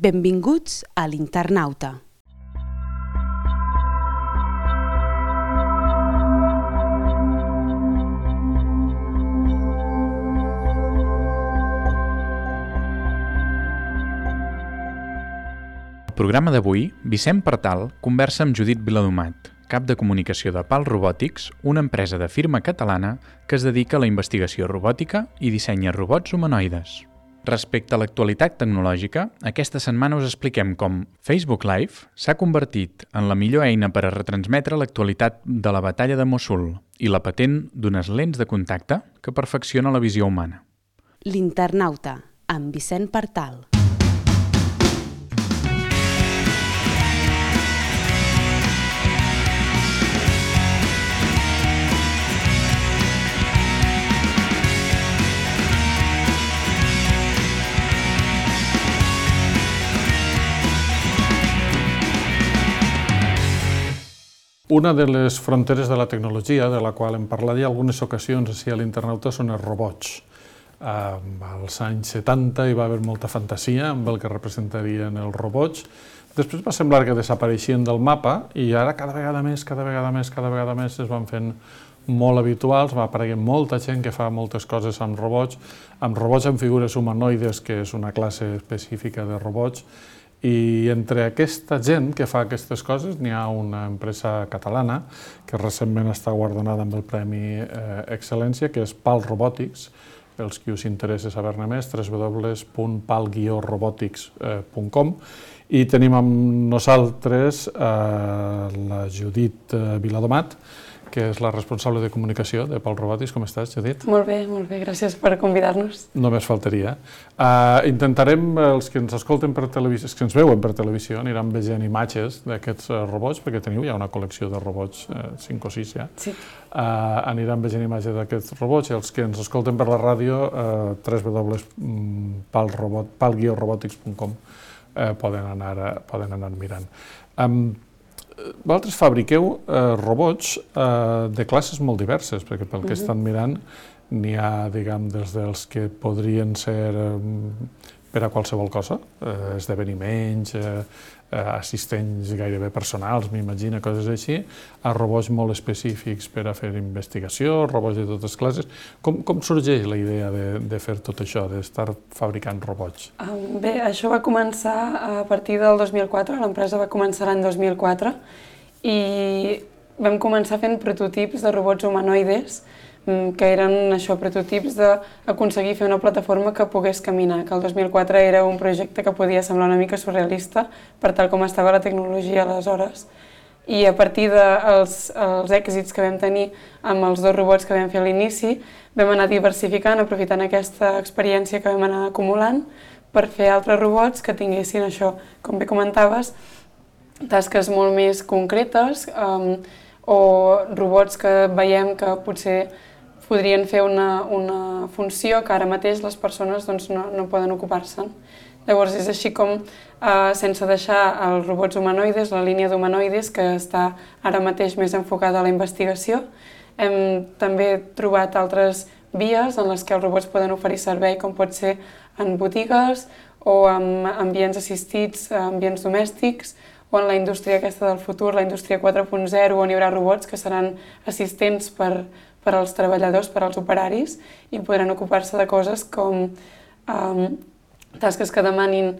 Benvinguts a l'Internauta. Al programa d'avui, Vicent Partal conversa amb Judit Viladomat, cap de comunicació de PAL Robotics, una empresa de firma catalana que es dedica a la investigació robòtica i dissenya robots humanoides. Respecte a l'actualitat tecnològica, aquesta setmana us expliquem com Facebook Live s'ha convertit en la millor eina per a retransmetre l'actualitat de la batalla de Mossul i la patent d'unes lents de contacte que perfecciona la visió humana. L'Internauta, amb Vicent Partal. Una de les fronteres de la tecnologia, de la qual hem parlat ja algunes ocasions així a l'Internauta, són els robots. Als anys 70 hi va haver molta fantasia amb el que representarien els robots. Després va semblar que desapareixien del mapa i ara cada vegada més es van fent molt habituals, va apareguent molta gent que fa moltes coses amb robots amb figures humanoides, que és una classe específica de robots. I entre aquesta gent que fa aquestes coses n'hi ha una empresa catalana que recentment està guardonada amb el Premi Excel·lència, que és PAL Robotics. Pels qui us interessa saber-ne més, www.pal-robotics.com. I tenim amb nosaltres la Judit Viladomat, que és la responsable de comunicació de PAL Robotics. Com estàs, Judit? Molt bé, gràcies per convidar-nos. Només faltaria. Intentarem, els que ens escolten per televisió, els que ens veuen per televisió, aniran veient imatges d'aquests robots, perquè teniu ja una col·lecció de robots, 5 o 6 ja. Sí. Aniran veient imatges d'aquests robots, i els que ens escolten per la ràdio, www.pal-robotics.com, poden anar mirant. Vosaltres fabriqueu robots de classes molt diverses, perquè pel que estan mirant n'hi ha, diguem, des dels que podrien ser per a qualsevol cosa, esdeveniments, assistents gairebé personals, m'imagino, coses així, a robots molt específics per a fer investigació, robots de totes classes. Com sorgeix la idea de fer tot això, d'estar fabricant robots? Bé, això va començar a partir del 2004, l'empresa va començar l'any 2004, i vam començar fent prototips de robots humanoides, que eren prototips d'aconseguir fer una plataforma que pogués caminar, que el 2004 era un projecte que podia semblar una mica surrealista per tal com estava la tecnologia aleshores. I a partir dels èxits que vam tenir amb els 2 robots que vam fer a l'inici, vam anar diversificant, aprofitant aquesta experiència que vam anar acumulant per fer altres robots que tinguessin això, com bé comentaves, tasques molt més concretes o robots que veiem que potser podrien fer una funció que ara mateix les persones no poden ocupar-se'n. Llavors és així com, sense deixar els robots humanoides, la línia d'humanoides, que està ara mateix més enfocada a la investigació, hem també trobat altres vies en les que els robots poden oferir servei, com pot ser en botigues o en ambients assistits, ambients domèstics, o en la indústria aquesta del futur, la indústria 4.0, on hi haurà robots que seran assistents per als treballadors, per als operaris, i podran ocupar-se de coses com tasques que demanin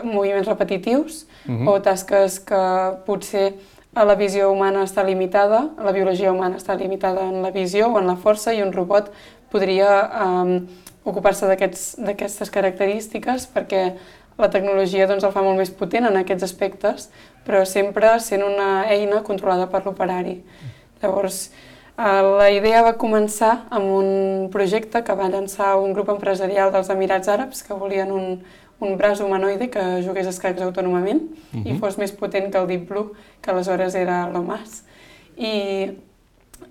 moviments repetitius o tasques que potser la visió humana està limitada, la biologia humana està limitada en la visió o en la força, i un robot podria ocupar-se d'aquestes característiques perquè la tecnologia el fa molt més potent en aquests aspectes, però sempre sent una eina controlada per l'operari. Llavors, la idea va començar amb un projecte que va llançar un grup empresarial dels Emirats Àrabs que volien un braç humanoide que jugués escacs autònomament i fos més potent que el Deep Blue, que aleshores era l'OMAS. I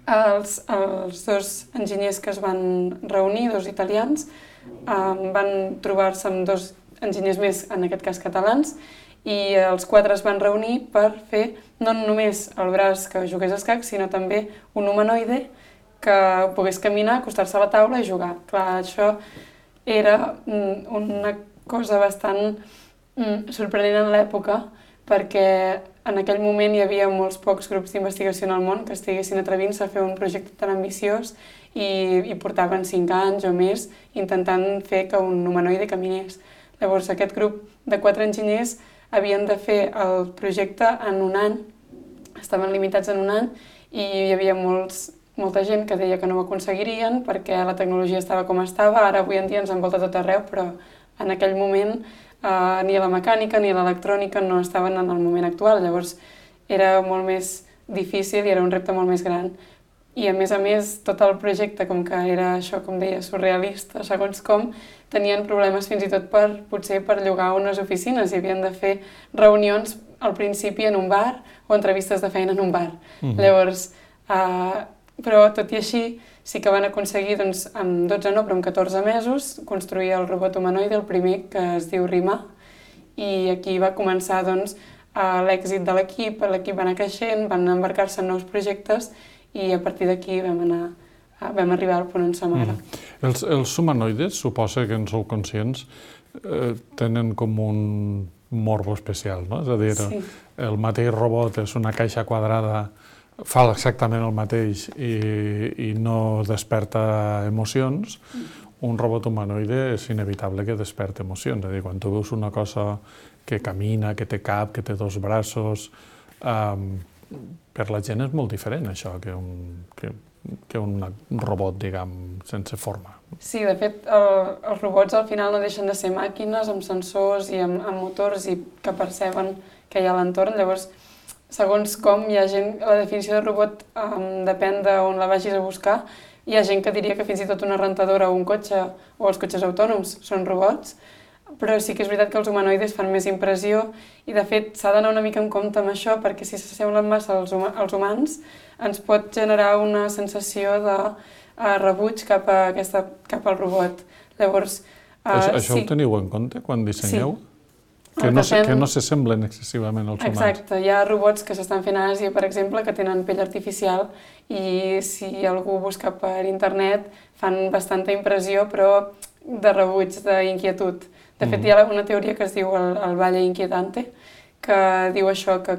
els 2 enginyers que es van reunir, 2 italians, van trobar-se amb 2 enginyers més, en aquest cas catalans, i els 4 es van reunir per fer no només el braç que jugués escacs, sinó també un humanoide que pogués caminar, acostar-se a la taula i jugar. Clar, això era una cosa bastant sorprenent en l'època, perquè en aquell moment hi havia molts pocs grups d'investigació en el món que estiguessin atrevint-se a fer un projecte tan ambiciós i portaven 5 anys o més intentant fer que un humanoide caminés. Llavors, aquest grup de 4 enginyers havien de fer el projecte en un any, estaven limitats en un any, i hi havia molta gent que deia que no ho aconseguirien perquè la tecnologia estava com estava, ara avui en dia ens envolta tot arreu, però en aquell moment ni la mecànica ni l'electrònica no estaven en el moment actual, llavors era molt més difícil i era un repte molt més gran. I a més, tot el projecte, com que era això, com deia, surrealista, segons com, tenien problemes fins i tot potser per llogar unes oficines i havien de fer reunions al principi en un bar o entrevistes de feina en un bar. Llavors, però tot i així, sí que van aconseguir, doncs, en 12 no, però en 14 mesos, construir el robot humanoide, el primer, que es diu Rimà, i aquí va començar, doncs, l'èxit de l'equip va anar creixent, van embarcar-se en nous projectes i a partir d'aquí vam arribar al punt on som ara. Els humanoides, suposa que en sou conscients, tenen com un morbo especial, no? És a dir, el mateix robot és una caixa quadrada, fa exactament el mateix i no desperta emocions. Un robot humanoide és inevitable que desperta emocions. És a dir, quan tu veus una cosa que camina, que té cap, que té 2 braços, per la gent és molt diferent això que un robot, diguem, sense forma. Sí, de fet, els robots al final no deixen de ser màquines amb sensors i amb motors i que perceben que hi ha a l'entorn. Llavors, segons com hi ha gent, la definició de robot depèn d'on la vagis a buscar. Hi ha gent que diria que fins i tot una rentadora o un cotxe o els cotxes autònoms són robots, però sí que és veritat que els humanoides fan més impressió i, de fet, s'ha d'anar una mica en compte amb això perquè si s'assemblen massa als humans ens pot generar una sensació de rebuig cap al robot. Llavors, això ho teniu en compte quan dissenyeu? Que no s'assemblen excessivament als humans. Exacte, hi ha robots que s'estan fent a Àsia, per exemple, que tenen pell artificial i si algú busca per internet fan bastanta impressió però de rebuig, d'inquietud. De fet, hi ha una teoria que es diu el Valle Inquietante, que diu això, que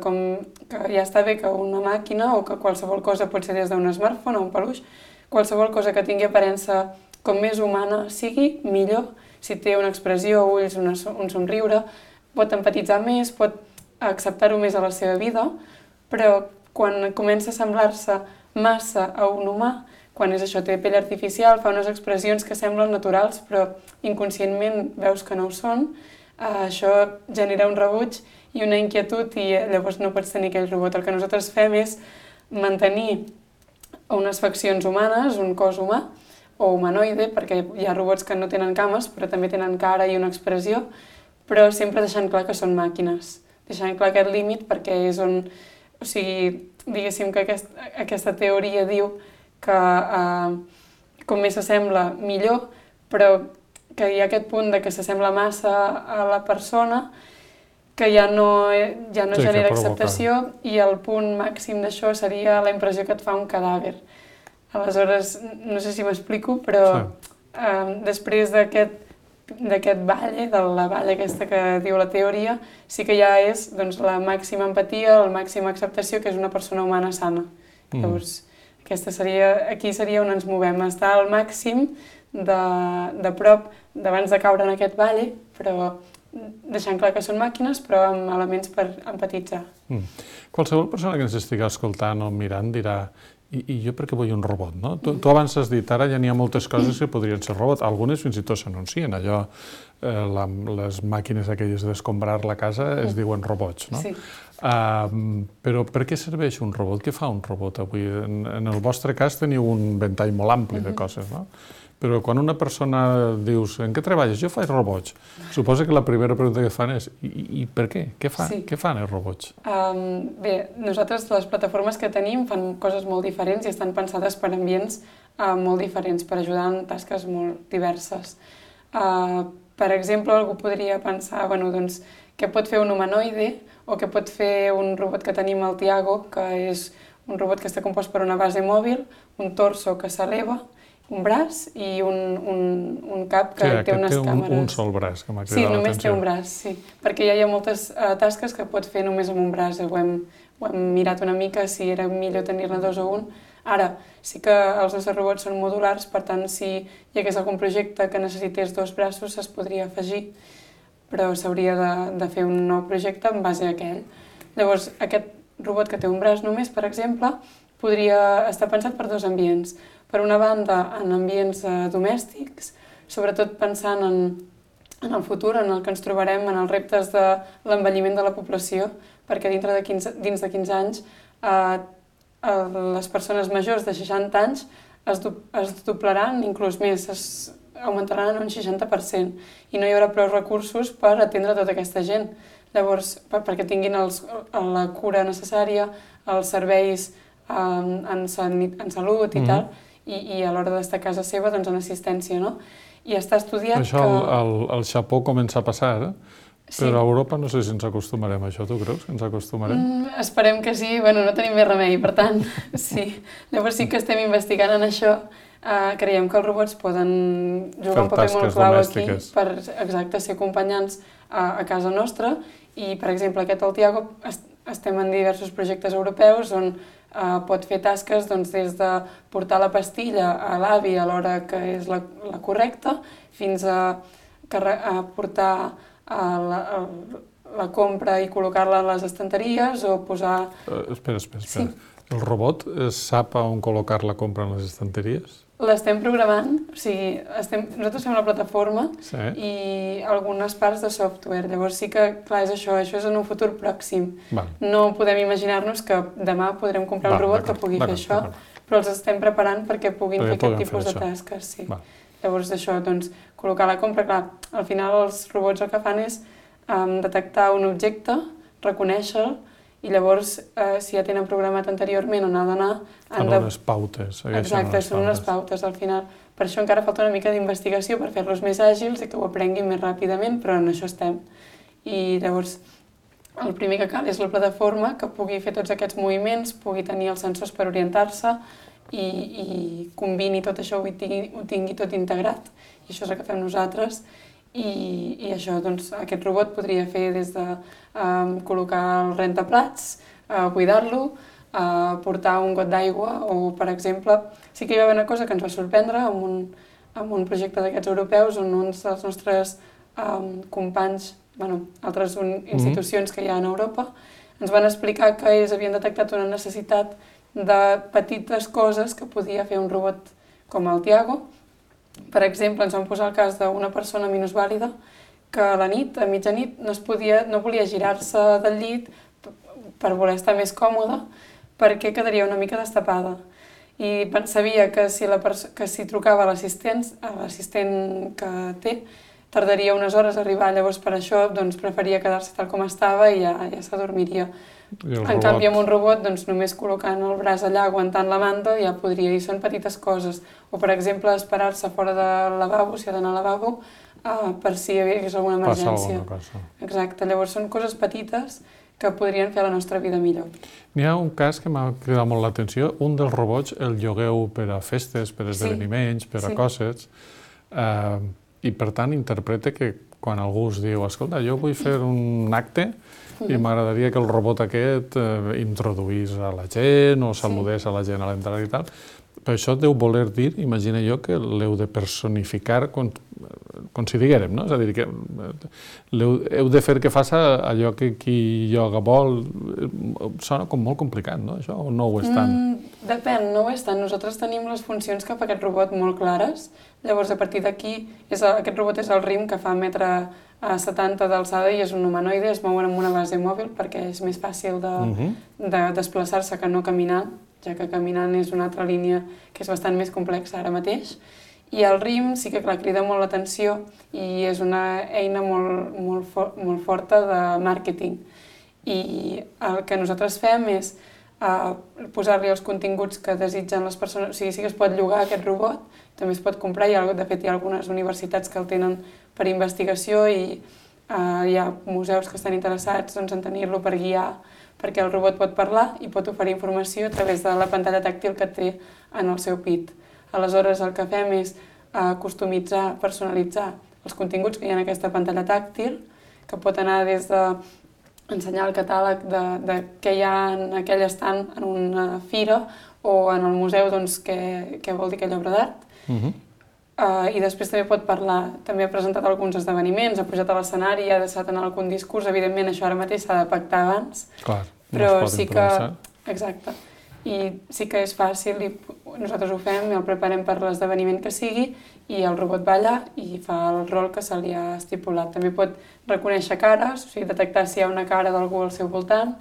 ja està bé que una màquina o que qualsevol cosa pot ser des d'un smartphone o un peluix, qualsevol cosa que tingui aparença com més humana sigui, millor. Si té una expressió, ulls, un somriure, pot empatitzar més, pot acceptar-ho més a la seva vida, però quan comença a semblar-se massa a un humà, quan és això, té pell artificial, fa unes expressions que semblen naturals, però inconscientment veus que no ho són, això genera un rebuig i una inquietud i llavors no pots tenir aquell robot. El que nosaltres fem és mantenir unes faccions humanes, un cos humà o humanoide, perquè hi ha robots que no tenen cames, però també tenen cara i una expressió, però sempre deixant clar que són màquines. Deixant clar aquest límit perquè és on... O sigui, diguéssim que aquesta teoria diu que com més s'assembla, millor, però que hi ha aquest punt de que s'assembla massa a la persona que ja no genera acceptació i el punt màxim d'això seria la impressió que et fa un cadàver. Aleshores, no sé si m'explico, però després d'aquest valle, de la valle aquesta que diu la teoria, sí que ja és la màxima empatia, la màxima acceptació, que és una persona humana sana. Llavors, aquí seria on ens movem, estar al màxim de prop, d'abans de caure en aquest valle, però deixant clar que són màquines, però amb elements per empatitzar. Qualsevol persona que ens estigui escoltant o mirant dirà i jo per què vull un robot, no? Tu abans has dit, ara ja n'hi ha moltes coses que podrien ser robot, algunes fins i tot s'anuncien, allò, les màquines aquelles d'escombrar la casa es diuen robots, no? Sí. Però per què serveix un robot? Què fa un robot avui? En el vostre cas teniu un ventall molt ampli de coses, no? Però quan una persona dius, en què treballes? Jo faig robots. Suposo que la primera pregunta que fan és, i per què? Què fan els robots? Bé, nosaltres les plataformes que tenim fan coses molt diferents i estan pensades per ambients molt diferents, per ajudar en tasques molt diverses. Per exemple, algú podria pensar, què pot fer un humanoide o què pot fer un robot que tenim al Tiago, que és un robot que està compost per una base mòbil, un torso que s'eleva un braç i un cap que té unes càmeres. Un sol braç, que m'ha cridat Sí, l'atenció. només té un braç, sí. Perquè ja hi ha moltes tasques que pots fer només amb un braç. Ho hem mirat una mica si era millor tenir-ne dos o un. Ara, sí que els nostres robots són modulars, per tant, si hi hagués algun projecte que necessités dos braços, es podria afegir, però s'hauria de fer un nou projecte en base a aquell. Llavors, aquest robot que té un braç només, per exemple, podria estar pensat per dos ambients. Per una banda, en ambients domèstics, sobretot pensant en el futur, en el que ens trobarem, en els reptes de l'envelliment de la població, perquè dins de 15 anys les persones majors de 60 anys es doblaran, inclús més, augmentaran en un 60%, i no hi haurà prou recursos per atendre tota aquesta gent. Llavors, perquè tinguin la cura necessària, els serveis en salut i tal, i a l'hora d'estar a casa seva, doncs en assistència, no? I està estudiat que... Això al Japó comença a passar, però a Europa no sé si ens acostumarem a això. Tu creus que ens acostumarem? Esperem que sí, bueno, no tenim més remei, per tant, sí. Llavors sí que estem investigant en això. Creiem que els robots poden jugar un paper molt clau aquí per, exacte, ser acompanyants a casa nostra. I, per exemple, aquest el Tiago, estem en diversos projectes europeus on pot fer tasques des de portar la pastilla a l'avi a l'hora que és la correcta, fins a portar la compra i col·locar-la a les estanteries o posar... Espera. Sí. El robot sap on col·locar la compra en les estanteries? L'estem programant, o sigui, nosaltres fem la plataforma i algunes parts de software. Llavors sí que, clar, és això és en un futur pròxim. No podem imaginar-nos que demà podrem comprar un robot que pugui fer això, però els estem preparant perquè puguin fer aquest tipus de tasques. Llavors això, col·locar la compra, clar, al final els robots el que fan és detectar un objecte, reconèixer-lo, i llavors, si ja tenen programat anteriorment on ha d'anar... Fan unes pautes. Exacte, són unes pautes al final. Per això encara falta una mica d'investigació per fer-los més àgils i que ho aprenguin més ràpidament, però en això estem. I llavors, el primer que cal és la plataforma que pugui fer tots aquests moviments, pugui tenir els sensors per orientar-se i combini tot això, ho tingui tot integrat. I això és el que fem nosaltres. I això, aquest robot podria fer des de col·locar el rentaplats, cuidar-lo, portar un got d'aigua o, per exemple, sí que hi va haver una cosa que ens va sorprendre amb un projecte d'aquests europeus on uns dels nostres companys, altres institucions que hi ha en Europa, ens van explicar que ells havien detectat una necessitat de petites coses que podia fer un robot com el Tiago. Per exemple, ens vam posar el cas d'una persona minusvàlida que a la nit, a mitjanit, no volia girar-se del llit per voler estar més còmoda perquè quedaria una mica destapada. I sabia que si trucava a l'assistent que té, tardaria unes hores a arribar. Llavors, per això, preferia quedar-se tal com estava i ja s'adormiria. En canvi, amb un robot, només col·locant el braç allà, aguantant la manta, ja podria, i són petites coses. O, per exemple, esperar-se fora del lavabo, si ha d'anar al lavabo, per si hi hagués alguna emergència. Exacte, llavors són coses petites que podrien fer la nostra vida millor. N'hi ha un cas que m'ha cridat molt l'atenció. Un dels robots el llogueu per a festes, per a esdeveniments, per a coses, i per tant interpreta que quan algú us diu escolta, jo vull fer un acte i m'agradaria que el robot aquest introduís a la gent o saludés a la gent a l'entrada i tal. Per això deu voler dir, imagina jo, que l'heu de personificar com si diguérem, no? És a dir, que heu de fer que faci allò que qui lloga vol. Sona com molt complicat, no? Això, o no ho és tant? Depèn, no ho és tant. Nosaltres tenim les funcions que fa aquest robot molt clares. Llavors, a partir d'aquí, aquest robot és el RIM, que fa 1,70 m d'alçada i és un humanoide, es mouen amb una base mòbil perquè és més fàcil de desplaçar-se que no caminant, ja que caminant és una altra línia que és bastant més complexa ara mateix. I el RIM sí que crida molt l'atenció i és una eina molt forta de màrqueting. I el que nosaltres fem és posar-li els continguts que desitgen les persones, o sigui, sí que es pot llogar aquest robot, també es pot comprar, de fet hi ha algunes universitats que el tenen per investigació i hi ha museus que estan interessats en tenir-lo per guiar, perquè el robot pot parlar i pot oferir informació a través de la pantalla tàctil que té en el seu pit. Aleshores, el que fem és customitzar, personalitzar els continguts que hi ha en aquesta pantalla tàctil, que pot anar des de ensenyar el catàleg de què hi ha en aquell estand en una fira o en el museu, doncs, què vol dir aquella obra d'art. I després també pot parlar, també ha presentat alguns esdeveniments, ha pujat a l'escenari, ha deixat anar algun discurs, evidentment això ara mateix s'ha de pactar abans, Clar, però no es pot sí improvisar. Exacte, i sí que és fàcil i nosaltres ho fem i el preparem per l'esdeveniment que sigui i el robot va allà i fa el rol que se li ha estipulat. També pot reconèixer cares, o sigui, detectar si hi ha una cara d'algú al seu voltant,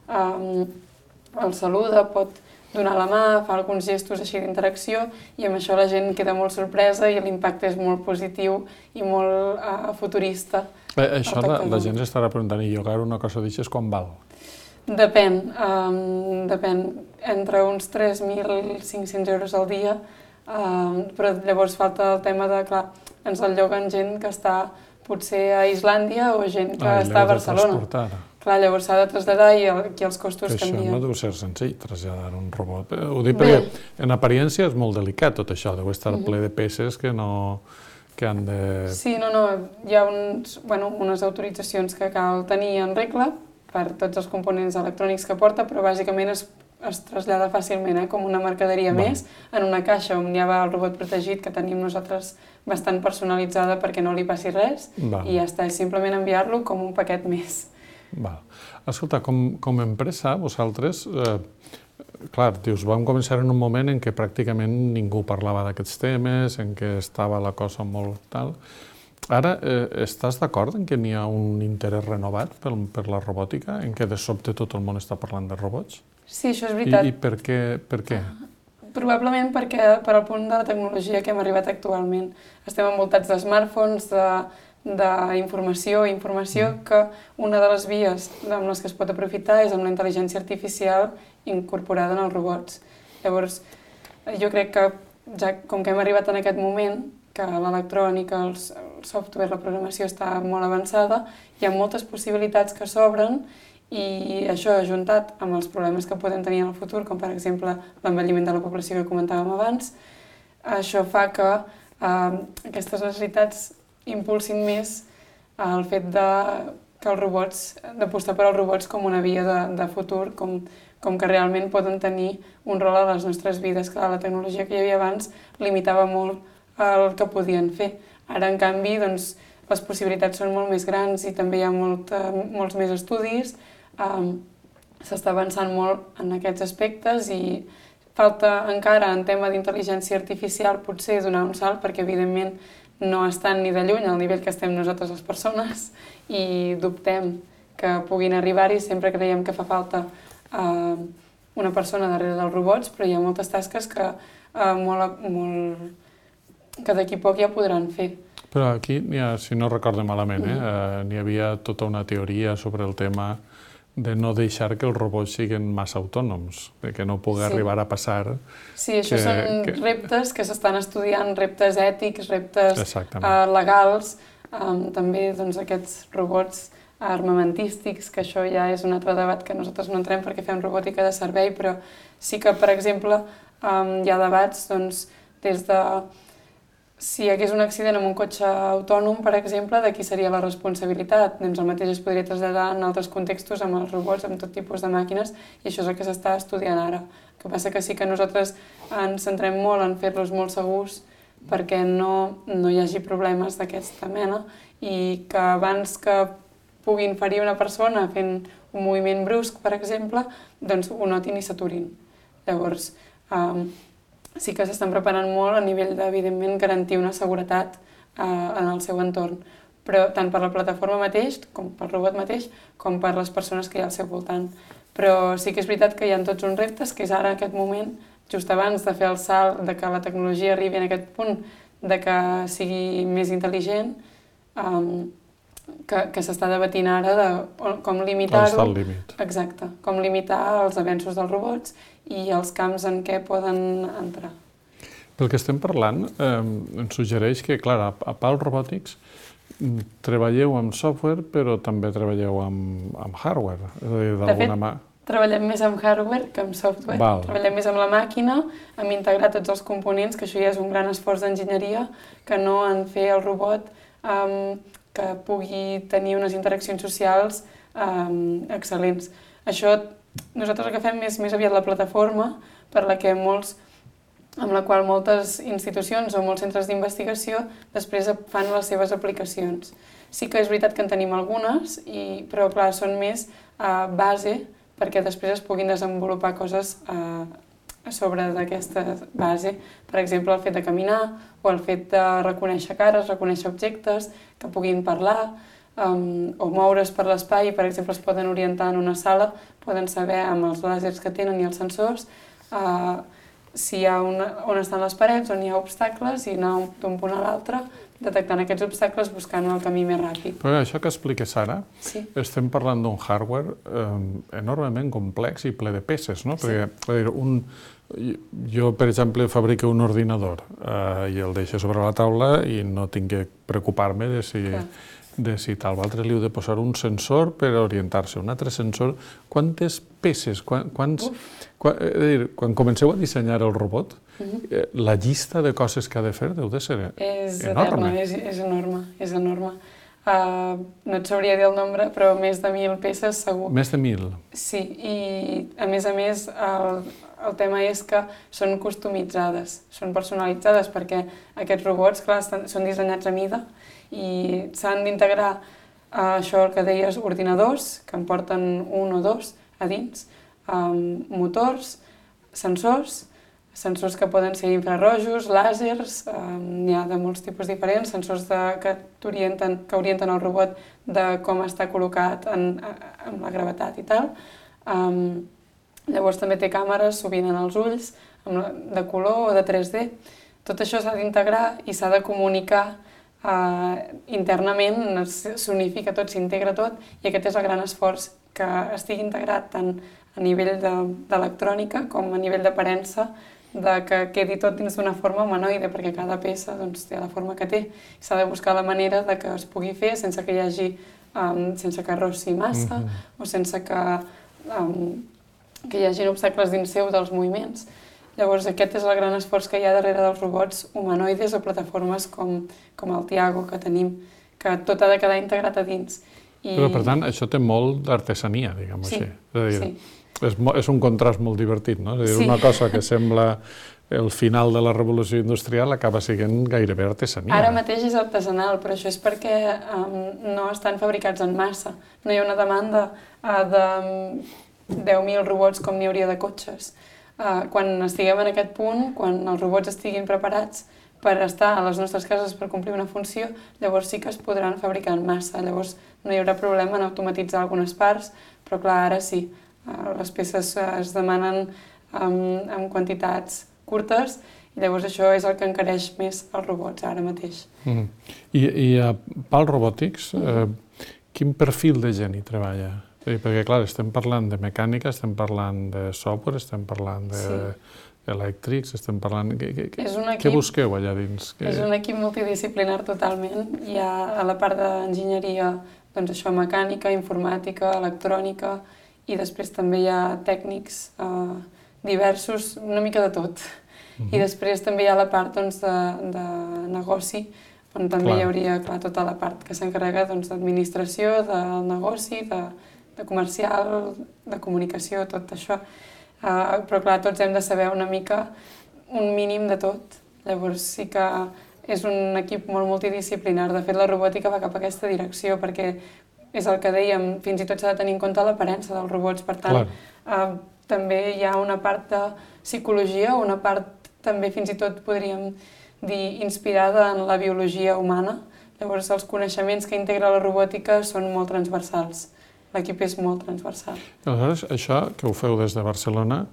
el saluda, pot donar la mà, fa alguns gestos així d'interacció i amb això la gent queda molt sorpresa i l'impacte és molt positiu i molt futurista. Això la gent s'estarà preguntant, i llogar una cosa d'això quan val? Depèn, entre uns 3.500 euros al dia, però llavors falta el tema de, clar, ens el lloguen gent que està potser a Islàndia o gent que està a Barcelona. Clar, llavors s'ha de traslladar i aquí els costos canvien. Això no deu ser senzill, traslladar un robot. Ho dic perquè en apariència és molt delicat tot això, deu estar ple de peces que han de... Sí, hi ha unes autoritzacions que cal tenir en regla per tots els components electrònics que porta, però bàsicament es trasllada fàcilment, com una mercaderia més, en una caixa on hi ha el robot protegit que tenim nosaltres bastant personalitzada perquè no li passi res i ja està, és simplement enviar-lo com un paquet més. Escolta, com a empresa, vosaltres, clar, dius, vam començar en un moment en què pràcticament ningú parlava d'aquests temes, en què estava la cosa molt tal. Ara, estàs d'acord en que n'hi ha un interès renovat per la robòtica, en què de sobte tot el món està parlant de robots? Sí, això és veritat. I per què? Probablement perquè per al punt de la tecnologia que hem arribat actualment. Estem envoltats de smartphones, d'informació, que una de les vies amb les que es pot aprofitar és amb la intel·ligència artificial incorporada en els robots. Llavors, jo crec que, ja com que hem arribat en aquest moment, que l'electrònica, el software, la programació està molt avançada, hi ha moltes possibilitats que s'obren i això, ajuntat amb els problemes que podem tenir en el futur, com per exemple l'envelliment de la població que comentàvem abans, això fa que aquestes necessitats impulsin més el fet d'apostar per als robots com una via de futur, com que realment poden tenir un rol a les nostres vides. Clar, la tecnologia que hi havia abans limitava molt el que podien fer. Ara, en canvi, doncs, les possibilitats són molt més grans i també hi ha molts més estudis. S'està avançant molt en aquests aspectes i falta encara en tema d'intel·ligència artificial potser donar un salt perquè, evidentment, no estan ni de lluny al nivell que estem nosaltres les persones i dubtem que puguin arribar-hi. Sempre creiem que fa falta una persona darrere dels robots, però hi ha moltes tasques que d'aquí poc ja podran fer. Però aquí, si no recordo malament, n'hi havia tota una teoria sobre el tema de no deixar que els robots siguin massa autònoms, que no pugui arribar a passar... Sí, això són reptes que s'estan estudiant, reptes ètics, reptes legals, també aquests robots armamentístics, que això ja és un altre debat que nosaltres no entrem perquè fem robòtica de servei, però sí que, per exemple, hi ha debats des de si hi hagués un accident amb un cotxe autònom, per exemple, de qui seria la responsabilitat. Doncs el mateix es podria traslladar en altres contextos amb els robots, amb tot tipus de màquines, i això és el que s'està estudiant ara. El que passa que sí que nosaltres ens centrem molt en fer-los molt segurs perquè no hi hagi problemes d'aquesta mena i que abans que puguin ferir una persona fent un moviment brusc, per exemple, doncs ho notin i s'aturin. Llavors, sí que s'estan preparant molt a nivell d'evidentment garantir una seguretat en el seu entorn, però tant per la plataforma mateix, com pel robot mateix, com per les persones que hi ha al seu voltant. Però sí que és veritat que hi ha tots uns reptes, que és ara en aquest moment, just abans de fer el salt, de que la tecnologia arribi en aquest punt, de que sigui més intel·ligent, que s'està debatint ara de com limitar-ho. On està el límit. Exacte, com limitar els avenços dels robots i els camps en què poden entrar. Pel que estem parlant, ens suggereix que, clar, a PAL Robotics treballeu amb software, però també treballeu amb hardware. És a dir, d'alguna manera... Treballem més amb hardware que amb software. Val. Treballem més amb la màquina, amb integrar tots els components, que això ja és un gran esforç d'enginyeria, que no en fer el robot que pugui tenir unes interaccions socials excel·lents. Això nosaltres agafem més aviat la plataforma per la que amb la qual moltes institucions o molts centres d'investigació després fan les seves aplicacions. Sí que és veritat que en tenim algunes, però clar, són més base perquè després es puguin desenvolupar coses a sobre d'aquesta base. Per exemple, el fet de caminar o el fet de reconèixer cares, reconèixer objectes, que puguin parlar o moure's per l'espai. Per exemple, es poden orientar en una sala, poden saber amb els làsers que tenen i els sensors si hi ha on estan les parets, on hi ha obstacles, i anar d'un punt a l'altre, detectant aquests obstacles, buscant el camí més ràpid. Però això que expliques ara, estem parlant d'un hardware enormement complex i ple de peces, no? Perquè jo, per exemple, fabrico un ordinador i el deixo sobre la taula i no tinc que preocupar-me de si tal. L'altre li heu de posar un sensor per orientar-se, un altre sensor. Quantes peces? Quan comenceu a dissenyar el robot, la llista de coses que ha de fer deu de ser enorme. És enorme. No et sabria dir el nombre, però més de 1.000 peces segur. Més de 1.000? Sí, i a més el tema és que són customitzades, són personalitzades, perquè aquests robots, clar, són dissenyats a mida i s'han d'integrar això que deies, ordinadors, que en porten un o dos a dins, motors, sensors que poden ser infrarrojos, làsers, n'hi ha de molts tipus diferents, sensors que orienten el robot de com està col·locat amb la gravetat i tal. Llavors també té càmeres, sovint en els ulls, de color o de 3D. Tot això s'ha d'integrar i s'ha de comunicar internament, s'unifica tot, s'integra tot, i aquest és el gran esforç, que estigui integrat tant a nivell d'electrònica com a nivell d'aparença, que quedi tot dins d'una forma humanoide, perquè cada peça té la forma que té. S'ha de buscar la manera que es pugui fer sense que hi hagi, sense que rossi massa o sense que hi hagi obstacles dins seu dels moviments. Llavors aquest és el gran esforç que hi ha darrere dels robots humanoides o plataformes com el Tiago que tenim, que tot ha de quedar integrat a dins. Però per tant això té molt d'artesania, diguem-ho així. És un contrast molt divertit, no? És a dir, una cosa que sembla el final de la revolució industrial acaba sent gairebé artesania. Ara mateix és artesanal, però això és perquè no estan fabricats en massa. No hi ha una demanda de 10.000 robots com n'hi hauria de cotxes. Quan estiguem en aquest punt, quan els robots estiguin preparats per estar a les nostres cases per complir una funció, llavors sí que es podran fabricar en massa. Llavors no hi haurà problema en automatitzar algunes parts, però clar, ara sí. Les peces es demanen en quantitats curtes i llavors això és el que encareix més els robots ara mateix. I a PAL Robotics, quin perfil de gent hi treballa? Perquè, clar, estem parlant de mecànica, estem parlant de software, estem parlant d'elèctrics, estem parlant... Què busqueu allà dins? És un equip multidisciplinar totalment. Hi ha a la part d'enginyeria, doncs això, mecànica, informàtica, electrònica, i després també hi ha tècnics diversos, una mica de tot. I després també hi ha la part de negoci, on també hi hauria tota la part que s'encarrega d'administració, del negoci, de comercial, de comunicació, tot això. Però clar, tots hem de saber una mica, un mínim de tot. Llavors sí que és un equip molt multidisciplinar. De fet, la robòtica va cap a aquesta direcció, perquè és el que dèiem, fins i tot s'ha de tenir en compte l'aparença dels robots. Per tant, també hi ha una part de psicologia, una part també fins i tot podríem dir inspirada en la biologia humana. Llavors els coneixements que integra la robòtica són molt transversals. L'equip és molt transversal. Aleshores, això que ho feu des de Barcelona,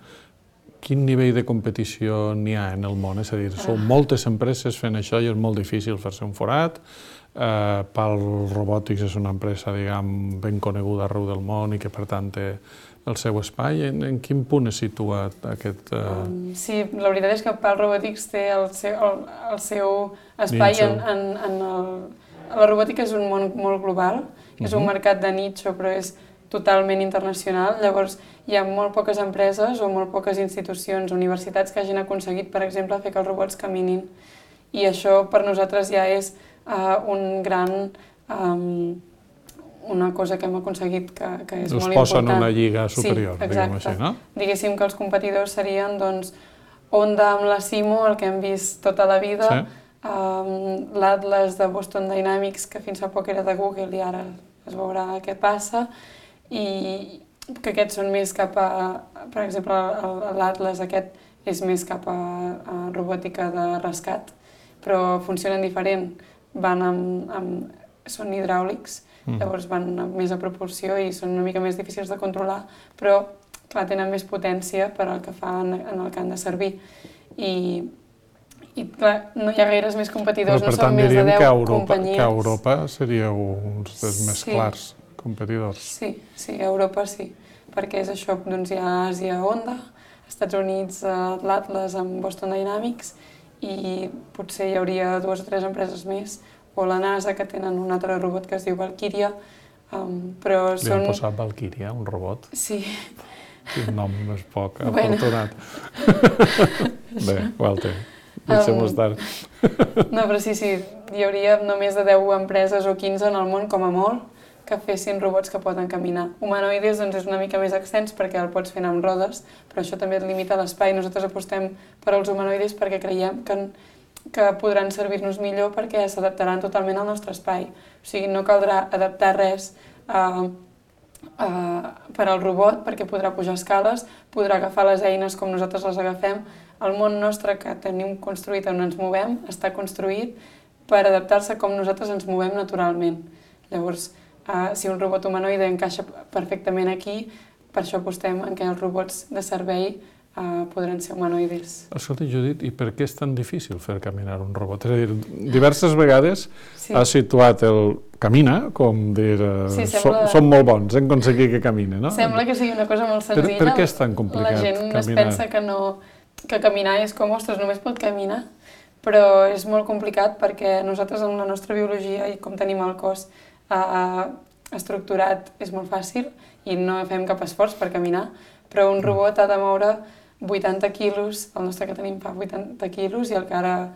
quin nivell de competició n'hi ha en el món? És a dir, són moltes empreses fent això i és molt difícil fer-se un forat. PAL Robotics és una empresa, diguem, ben coneguda arreu del món i que, per tant, té el seu espai. En quin punt es situa aquest... Sí, la veritat és que PAL Robotics té el seu espai en... La robòtica és un món molt global, és un mercat de nicho, però és totalment internacional. Llavors, hi ha molt poques empreses o molt poques institucions, universitats que hagin aconseguit, per exemple, fer que els robots caminin. I això per nosaltres ja és una cosa que hem aconseguit que és molt important. Us posa en una lliga superior, sí, diguem així, no? Diguéssim que els competidors serien doncs, Honda amb la Simo, el que hem vist tota la vida, l'Atlas de Boston Dynamics, que fins fa poc era de Google i ara es veurà què passa, i que aquests són més cap a, per exemple, l'Atlas aquest és més cap a robòtica de rescat, però funcionen diferent, són hidràulics, llavors van més a propulsió i són una mica més difícils de controlar, però clar, tenen més potència per al que fan en el que han de servir. I clar, no hi ha gaires més competidors, no són més de 10 companyies. Que a Europa seríeu uns dels més clars competidors. Sí, a Europa sí, perquè és això, doncs hi ha Àsia Honda, Estats Units l'Atlas amb Boston Dynamics i potser hi hauria 2 o 3 empreses més, o la NASA, que tenen un altre robot que es diu Valkyria, però Li han posat Valkyria, un robot? Sí. Quin nom més poc afortunat. Bé, Walter, deixem-ho estar. No, però sí, hi hauria només de 10 empreses o 15 en el món, com a molt, que fessin robots que poden caminar. Humanoides doncs, és una mica més extens perquè el pots fer amb rodes, però això també et limita l'espai. Nosaltres apostem per als humanoides perquè creiem que podran servir-nos millor perquè s'adaptaran totalment al nostre espai. O sigui, no caldrà adaptar res per al robot perquè podrà pujar escales, podrà agafar les eines com nosaltres les agafem. El món nostre que tenim construït on ens movem està construït per adaptar-se com nosaltres ens movem naturalment. Llavors, si un robot humanoide encaixa perfectament aquí, per això apostem en què els robots de servei podran ser humanoides. Escolta, Judit, i per què és tan difícil fer caminar un robot? És a dir, diverses vegades has situat el camina, com dir, som molt bons en aconseguir que camine, no? Sembla que sigui una cosa molt senzilla. Per què és tan complicat caminar? La gent es pensa que caminar és com, ostres, només pot caminar, però és molt complicat perquè nosaltres en la nostra biologia i com tenim el cos estructurat és molt fàcil i no fem cap esforç per caminar, però un robot ha de moure 80 quilos, el nostre que tenim fa 80 quilos i el que ara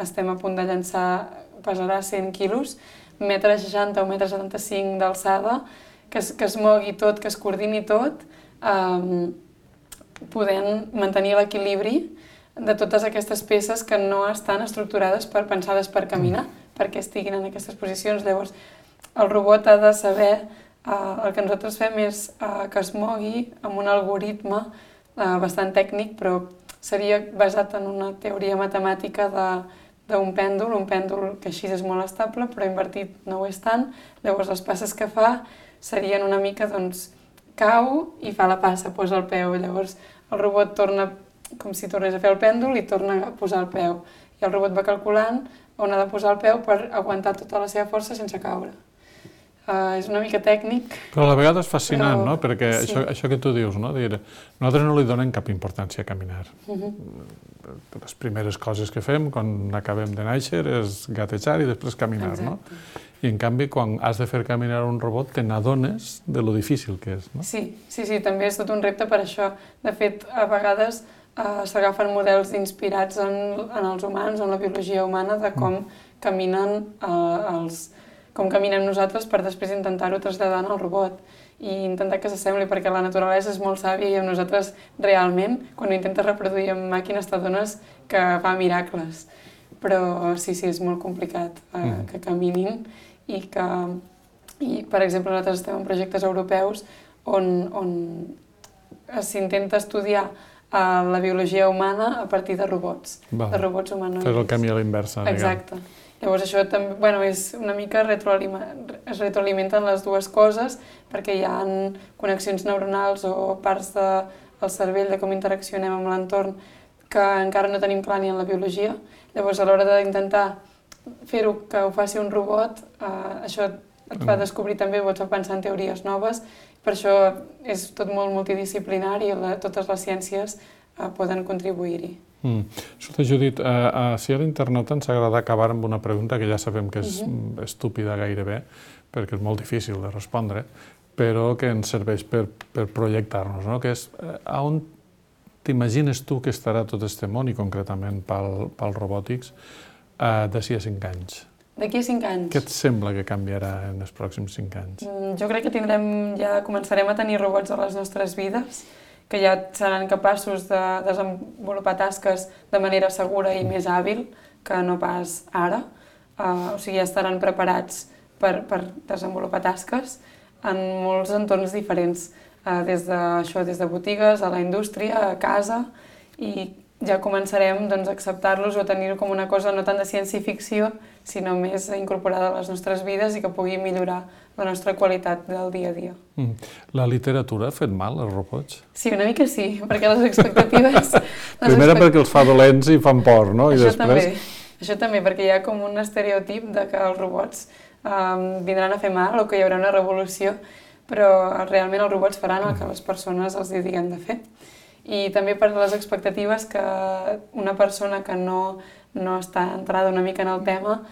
estem a punt de llançar pesarà 100 quilos, 1,60 m o 1,75 m d'alçada, que es mogui tot, que es coordini tot, podent mantenir l'equilibri de totes aquestes peces que no estan estructurades pensades per caminar, perquè estiguin en aquestes posicions. Llavors, el robot ha de saber, el que nosaltres fem és que es mogui amb un algoritme bastant tècnic, però seria basat en una teoria matemàtica d'un pèndol, un pèndol que així és molt estable, però invertit no ho és tant. Llavors, les passes que fa serien una mica, doncs, cau i fa la passa, posa el peu. Llavors, el robot torna com si tornés a fer el pèndol i torna a posar el peu. I el robot va calculant on ha de posar el peu per aguantar tota la seva força sense caure. És una mica tècnic. Però a la vegada és fascinant, no? Perquè això que tu dius, no? Nosaltres no li donem cap importància a caminar. Les primeres coses que fem quan acabem de néixer és gatejar i després caminar, no? I en canvi, quan has de fer caminar un robot, te n'adones de lo difícil que és, no? Sí, també és tot un repte per això. De fet, a vegades s'agafen models inspirats en els humans, en la biologia humana, de com caminen com caminem nosaltres per després intentar-ho traslladar al robot i intentar que s'assembli, perquè la naturalesa és molt sàvia i amb nosaltres realment, quan ho intentes reproduir amb màquines, t'adones que fa miracles. Però sí, és molt complicat que caminin i, per exemple, nosaltres estem en projectes europeus on s'intenta estudiar la biologia humana a partir de robots humanoides. Fer el camí a l'inversa, diguem. Exacte. Llavors això també, és una mica es retroalimenten les dues coses perquè hi ha connexions neuronals o parts del cervell de com interaccionem amb l'entorn que encara no tenim clar ni en la biologia. Llavors a l'hora d'intentar fer-ho que ho faci un robot, això et fa descobrir també, pots pensar en teories noves, per això és tot molt multidisciplinari i totes les ciències poden contribuir-hi. Escolta, Judit, si a l'internauta ens agrada acabar amb una pregunta que ja sabem que és estúpida gairebé, perquè és molt difícil de respondre, però que ens serveix per projectar-nos, no? Que és on t'imagines tu que estarà tot aquest món, i concretament pel robòtics, d'ací a 5 anys? D'aquí a 5 anys? Què et sembla que canviarà en els pròxims 5 anys? Jo crec que començarem a tenir robots a les nostres vides, que ja seran capaços de desenvolupar tasques de manera segura i més hàbil que no pas ara. O sigui, ja estaran preparats per desenvolupar tasques en molts entorns diferents, des de botigues, a la indústria, a casa, i ja començarem a acceptar-los o a tenir-ho com una cosa no tant de ciència-ficció, sinó més incorporada a les nostres vides i que pugui millorar la nostra qualitat del dia a dia. La literatura ha fet mal als robots? Sí, una mica sí, perquè les expectatives... Primera perquè els fa dolents i fan por, no? Això també, perquè hi ha com un estereotip de que els robots vindran a fer mal o que hi haurà una revolució, però realment els robots faran el que les persones els diguem de fer. I també per les expectatives que una persona que no està entrada una mica en el tema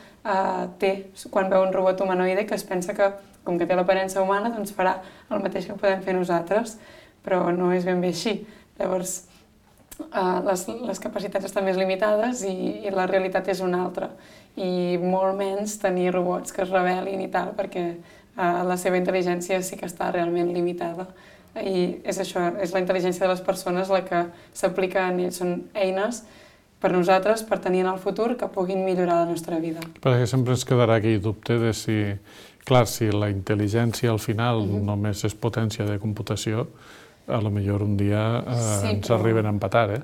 té quan veu un robot humanoide, que es pensa que, com que té l'aparença humana, doncs farà el mateix que podem fer nosaltres, però no és ben bé així. Llavors, les capacitats estan més limitades i la realitat és una altra. I molt menys tenir robots que es rebel·lin i tal, perquè la seva intel·ligència sí que està realment limitada. I és això, és la intel·ligència de les persones la que s'aplica en ells. Són eines per nosaltres, per tenir en el futur, que puguin millorar la nostra vida. Perquè sempre ens quedarà aquell dubte de si, clar, si la intel·ligència al final només és potència de computació, a lo millor un dia ens arriben a empatar,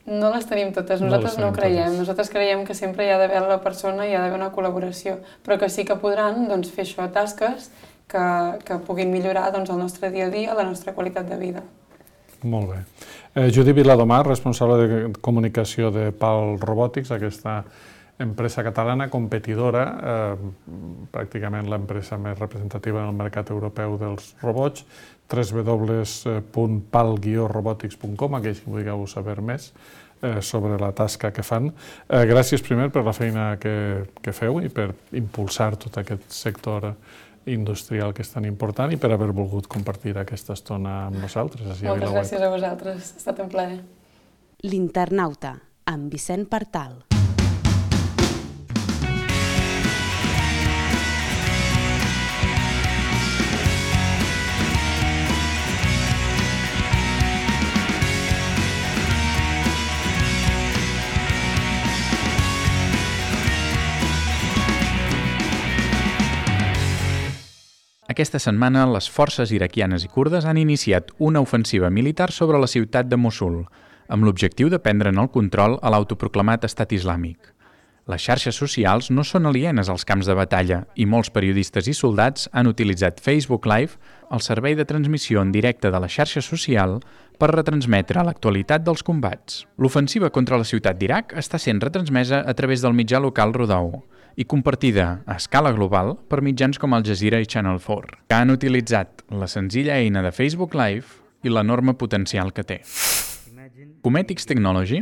No les tenim totes, nosaltres no ho creiem. Nosaltres creiem que sempre hi ha d'haver la persona i hi ha d'haver una col·laboració, però que sí que podran fer això, tasques que puguin millorar el nostre dia a dia, la nostra qualitat de vida. Molt bé. Judit Viladomar, responsable de comunicació de PAL Robotics, aquesta empresa catalana competidora, pràcticament l'empresa més representativa en el mercat europeu dels robots, www.pal-robotics.com, aquells que vulgueu saber més sobre la tasca que fan. Gràcies primer per la feina que feu i per impulsar tot aquest sector industrial que és tan important i per haver volgut compartir aquesta estona amb nosaltres. Moltes gràcies a vosaltres, ha estat un plaer. L'Internauta, amb Vicent Partal. Aquesta setmana, les forces iraquianes i kurdes han iniciat una ofensiva militar sobre la ciutat de Mossul, amb l'objectiu de prendre'n el control a l'autoproclamat estat islàmic. Les xarxes socials no són alienes als camps de batalla i molts periodistes i soldats han utilitzat Facebook Live, el servei de transmissió en directe de la xarxa social, per retransmetre l'actualitat dels combats. L'ofensiva contra la ciutat d'Iraq està sent retransmesa a través del mitjà local Rodou i compartida a escala global per mitjans com Al Jazeera i Channel 4, que han utilitzat la senzilla eina de Facebook Live i l'enorme potencial que té. Cometics Technology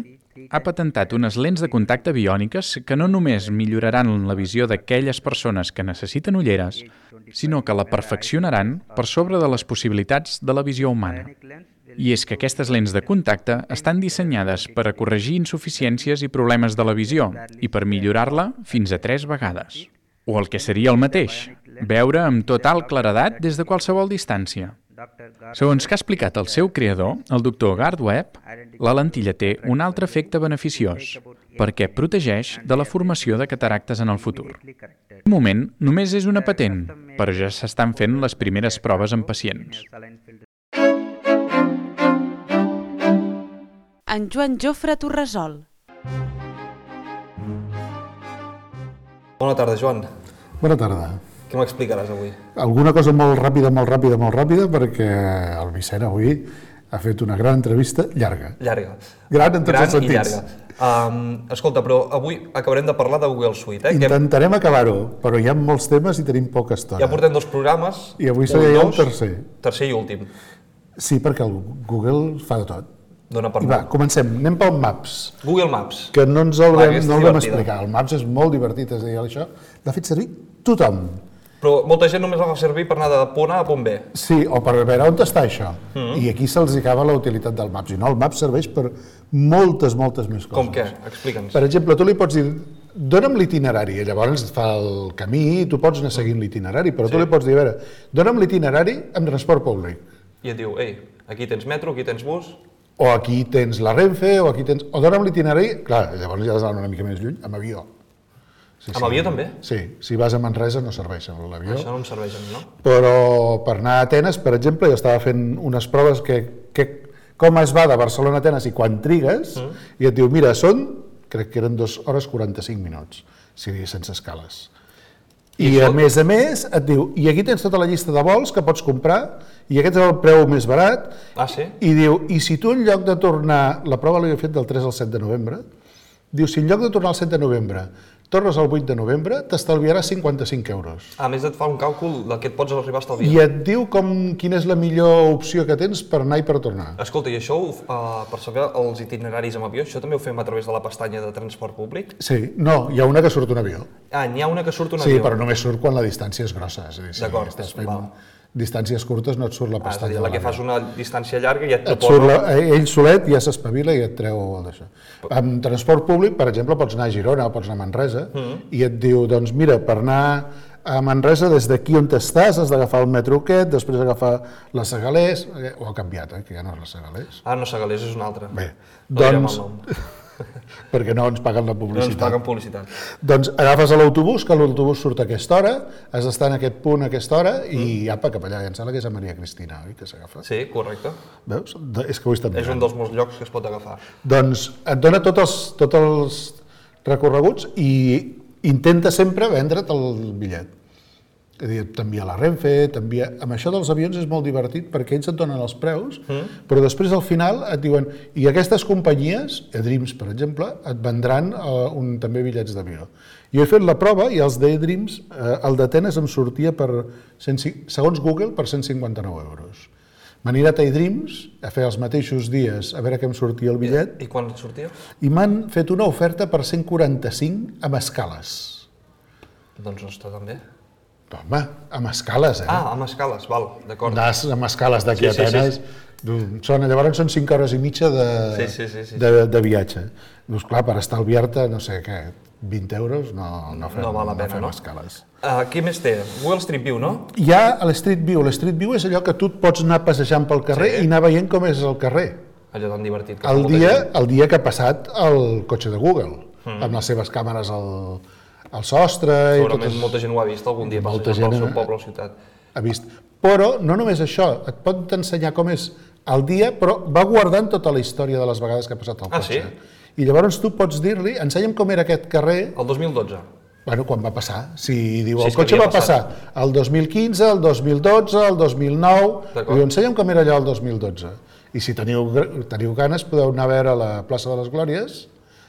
ha patentat unes lents de contacte biòniques que no només milloraran la visió d'aquelles persones que necessiten ulleres, sinó que la perfeccionaran per sobre de les possibilitats de la visió humana. I és que aquestes lents de contacte estan dissenyades per a corregir insuficiències i problemes de la visió i per millorar-la fins a 3 vegades. O el que seria el mateix, veure amb total claredat des de qualsevol distància. Segons que ha explicat el seu creador, el doctor Gard Webb, la lentilla té un altre efecte beneficiós, perquè protegeix de la formació de cataractes en el futur. De moment, només és una patent, però ja s'estan fent les primeres proves en pacients. En Joan Jofre Torresol. Bona tarda, Joan. Bona tarda. Què m'explicaràs avui? Alguna cosa molt ràpida, perquè el Vicent avui ha fet una gran entrevista llarga. Llarga. Gran en tots els sentits. Escolta, però avui acabarem de parlar de Google Suite. Intentarem acabar-ho, però hi ha molts temes i tenim poca estona. Ja portem 2 programes. I avui seria el tercer. Tercer i últim. Sí, perquè el Google fa de tot. Dona per I va, comencem. Anem pel Maps. Google Maps. Que no ens el vam explicar. El Maps és molt divertit, és a dir, això l'ha fet servir tothom. Però molta gent només el fa servir per anar de punt A a punt B. Sí, o per veure on està això. I aquí se'ls acaba la utilitat del Maps. I no, el Maps serveix per moltes més coses. Com què? Explica'ns. Per exemple, tu li pots dir, dona'm l'itinerari, i llavors et fa el camí i tu pots anar seguint l'itinerari, però tu li pots dir, a veure, dona'm l'itinerari amb transport públic. I et diu, ei, aquí tens metro, aquí tens bus... O aquí tens la Renfe, o aquí tens... O dona'm l'itinerari, clar, llavors ja has d'anar una mica més lluny, amb avió. Sí, Amb avió també? Sí, si vas a Manresa no serveix amb l'avió. Això no em serveix a mi, no? Però per anar a Atenes, per exemple, jo estava fent unes proves com es va de Barcelona a Atenes i quan trigues, i et diu, mira, crec que eren 2 hores 45 minuts, si sense escales. I a més, et diu, i aquí tens tota la llista de vols que pots comprar, i aquest és el preu més barat, Ah, sí? i diu, i si tu en lloc de tornar, la prova l'he fet del 3 al 7 de novembre, diu, si en lloc de tornar al 7 de novembre tornes al 8 de novembre, t'estalviaràs 55 euros. A més, et fa un càlcul del que et pots arribar a estalviar. I et diu quina és la millor opció que tens per anar i per tornar. Escolta, i això, per saber els itineraris amb avió, això també ho fem a través de la pestanya de transport públic? Sí, no, hi ha una que surt un avió. Ah, n'hi ha una que surt un Sí, avió. però només surt quan la distància és grossa. És a dir, si D'acord, estàs fent val. distàncies curtes no et surt la És a pestanya. dir, la que fas una distància llarga i et et proposa... surt ell solet ja s'espavila i et treu d'això. Amb transport públic, per exemple, pots anar a Girona o pots anar a Manresa i et diu, doncs mira, per anar a Manresa des d'aquí on estàs has d'agafar el metro aquest, després agafar la Segalés, ho ha canviat, que ja no és la Segalés. Ah, no, Segalés és una altra. Bé, No direm doncs, el nom. perquè no ens paguen la No ens publicitat. paguen publicitat. Doncs agafes l'autobús, que l'autobús surt a aquesta hora, has d'estar en aquest punt a aquesta hora i apa, cap allà. I em sembla que és a Maria Cristina, oi, que s'agafa? Sí, correcte. Veus? És que ho he estat És un mirant. dels molts llocs que es pot agafar. Doncs et dona tots els recorreguts i intenta sempre vendre't el bitllet. És a dir, t'envia la Renfe, amb això dels avions és molt divertit perquè ells et donen els preus, però després al final et diuen, i aquestes companyies, eDreams per exemple, et vendran també bitllets d'avió. Jo he fet la prova i els d'eDreams, el d'Atenes em sortia segons Google, per 159 euros. M'han anat a eDreams a fer els mateixos dies a veure què em sortia el bitllet I quan sortia? i m'han fet una oferta per 145 amb escales. Doncs no està tan bé. Home, amb escales, Ah, amb escales, val, d'acord. Anar amb escales d'aquí a Sí, sí, sí. Atenes, llavors són 5 hores i mitja Sí. de viatge. Dius, clar, per estalviar-te, no sé què, 20 euros no fem, No val la pena, fem no? escales. Què més té? Google Street View, no? Hi ha l'Street View. L'Street View és allò que tu et pots anar passejant pel carrer i anar veient com és el carrer. Allò tan divertit. Que El molta dia, gent. el dia que ha passat el cotxe de Google, amb les seves càmeres al sostre... Segurament molta gent ho ha vist algun dia Molta passejant pel gent, seu poble o ciutat. Ha vist. Però no només això, et pot ensenyar com és el dia, però va guardant tota la història de les vegades que ha passat el Ah, cotxe. sí? I llavors tu pots dir-li, ensenya'm com era aquest carrer, El 2012. bueno, quan va passar. Si diu, Sí, el és que cotxe havia va passar el 2015, el 2012, el 2009, D'acord. diu, ensenya'm com era allò el 2012. I si teniu ganes, podeu anar a veure la plaça de les Glòries,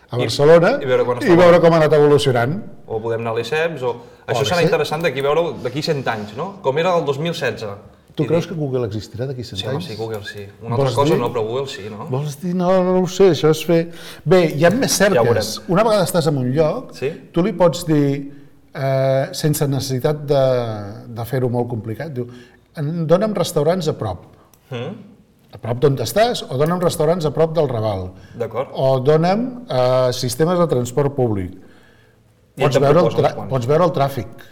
a Barcelona, i veure quan i estava. veure com ha anat evolucionant. O podem anar a l'ESEPS, o... Això serà sí. interessant d'aquí veure d'aquí 100 anys, no? Com era el 2016. Tu creus que Google existirà d'aquí 100 Sí, home, anys? sí, Google sí. Una altra Vols cosa dir? no, però Google sí, no? Vols dir, no ho sé, això és fer... Bé, hi ha més cerques. veurem. Una vegada estàs en un lloc, Sí? tu li pots dir, sense necessitat de fer-ho molt complicat, diu, dona'm restaurants a prop. A prop d'on estàs, o dona'm restaurants a prop del Raval. D'acord. O dona'm sistemes de transport públic. I et proposa uns quants. Pots veure el tràfic.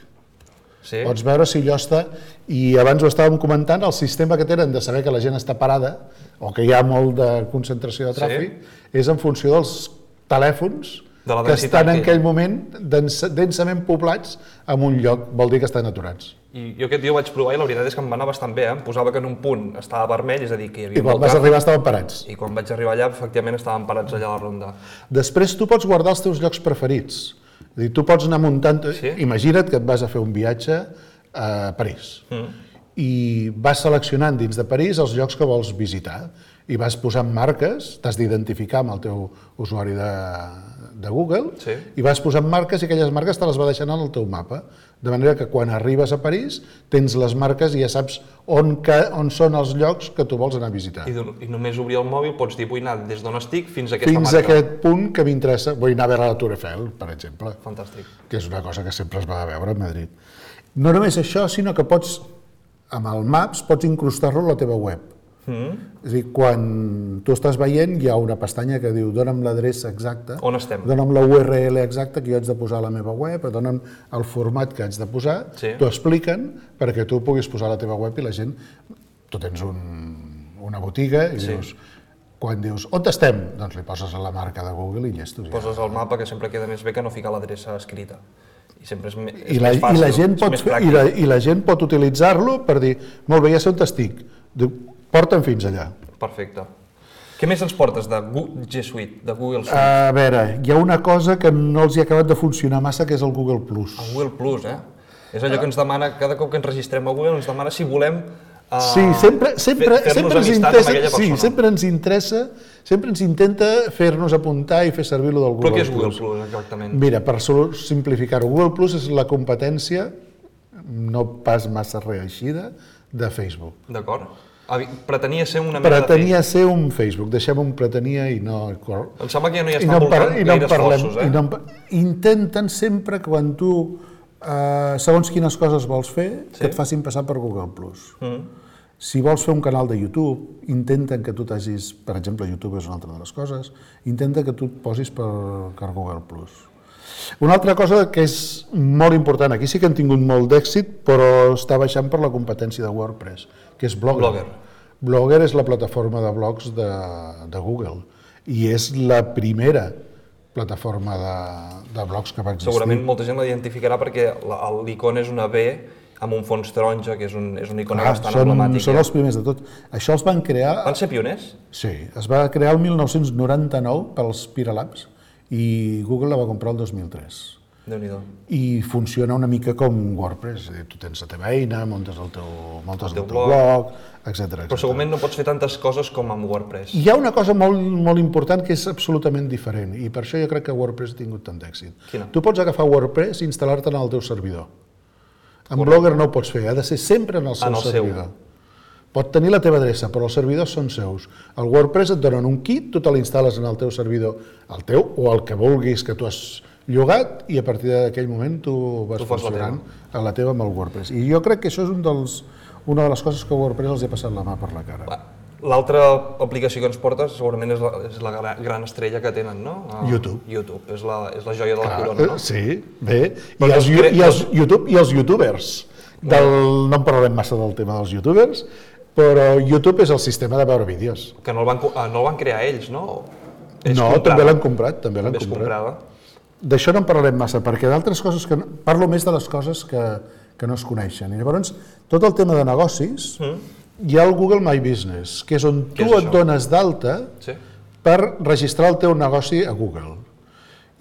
Sí? Pots veure si allò està... I abans ho estàvem comentant, el sistema que tenen de saber que la gent està parada o que hi ha molt de concentració de tràfic és en funció dels telèfons De la que densitat estan en que hi ha. aquell moment densament poblats en un lloc, vol dir que estan aturats. I jo aquest dia ho vaig provar i la veritat és que em va anar bastant bé, eh? Em posava que en un punt estava vermell, és a dir, que hi havia I quan molt vas tràfic. arribar estaven parats. I quan vaig arribar allà, efectivament, estaven parats allà a la ronda. Després tu pots guardar els teus llocs preferits. És a dir, tu pots anar muntant... Sí. Imagina't que et vas a fer un viatge a París i vas seleccionant dins de París els llocs que vols visitar i vas posant marques, t'has d'identificar amb el teu usuari de Google Sí. i vas posant marques i aquelles marques te les va deixant en el teu mapa. De manera que quan arribes a París tens les marques i ja saps on són els llocs que tu vols anar a visitar. I només obrir el mòbil pots dir, vull anar des d'on estic fins a aquesta Fins marca. a aquest punt que m'interessa, vull anar a veure la Tour Eiffel, per exemple, Fantàstic. que és una cosa que sempre es va a veure a Madrid. No només això, sinó que pots, amb el Maps, pots incrustar-lo a la teva web. És a dir, quan tu estàs veient, hi ha una pestanya que diu dona'm l'adreça exacta, On estem? dona'm la URL exacta que jo haig de posar a la meva web, dona'm el format que haig de posar, t'ho expliquen perquè tu puguis posar a la teva web i la gent... Tu tens una botiga i dius... Quan dius, on estem? Doncs li poses a la marca de Google i llestos. Poses el mapa, que sempre queda més bé que no ficar l'adreça escrita. I sempre és més I fàcil, la gent és més pràctic. I la gent pot utilitzar-lo per dir, molt bé, ja sé on estic, porta'm fins allà. Perfecte. Què més ens portes de G Suite, de Google Suite? A veure, hi ha una cosa que no els hi ha acabat de funcionar massa, que és el Google Plus. El Google Plus, És allò que ens demana, cada cop que ens registrem a Google, ens demana si volem Sí, sempre ens intenta fer-nos apuntar i fer servir-lo del Google Plus. Però què és Google Plus, exactament? Mira, per simplificar-ho, Google Plus és la competència, no pas massa reeixida, de Facebook. D'acord. Pretenia ser una mena de Pretenia ser un Facebook, deixem un pretenia i no... Em sembla que ja no hi estan voltant gaire esforços, Intenten sempre que quan tu, segons quines coses vols fer, que et facin passar per Google Plus. Si vols fer un canal de YouTube, intenten que tu t'hagis, per exemple, YouTube és una altra de les coses, intenta que tu et posis per Google Plus. Una altra cosa que és molt important, aquí sí que han tingut molt d'èxit, però està baixant per la competència de WordPress, que és Blogger. Blogger és la plataforma de blogs de Google i és la primera plataforma de blogs que va existir. Segurament molta gent l'identificarà perquè l'icona és una B amb un fons taronja, que és una icona bastant emblemàtica. Són els primers de tot. Això els van crear... Van ser pioners? Sí, es va crear el 1999 pels Pyralabs i Google la va comprar el 2003. Déu-n'hi-do. I funciona una mica com WordPress, és a dir, tu tens la teva eina, muntes el teu blog, etc. Però segurament no pots fer tantes coses com amb WordPress. Hi ha una cosa molt important que és absolutament diferent i per això jo crec que WordPress ha tingut tant d'èxit. Quina? Tu pots agafar WordPress i instal·lar-te en el teu servidor. En Blogger no ho pots fer, ha de ser sempre en el seu servidor. Pot tenir la teva adreça, però els servidors són seus. El WordPress et donen un kit, tu te l'instal·les en el teu servidor, el teu o el que vulguis que tu has llogat i a partir d'aquell moment tu vas funcionant a la teva amb el WordPress. I jo crec que això és una de les coses que WordPress els ha passat la mà per la cara. L'altra aplicació que ens portes segurament és la gran estrella que tenen, no? YouTube. YouTube, és la joia de la corona, no? Sí, bé. I els youtubers. No en parlarem massa del tema dels youtubers, però YouTube és el sistema de veure vídeos. Que no el van crear ells, no? No, també l'han comprat. També és comprada. D'això no en parlarem massa, perquè d'altres coses parlo més de les coses que no es coneixen. I llavors, tot el tema de negocis, hi ha el Google My Business, que és on tu et dones d'alta per registrar el teu negoci a Google.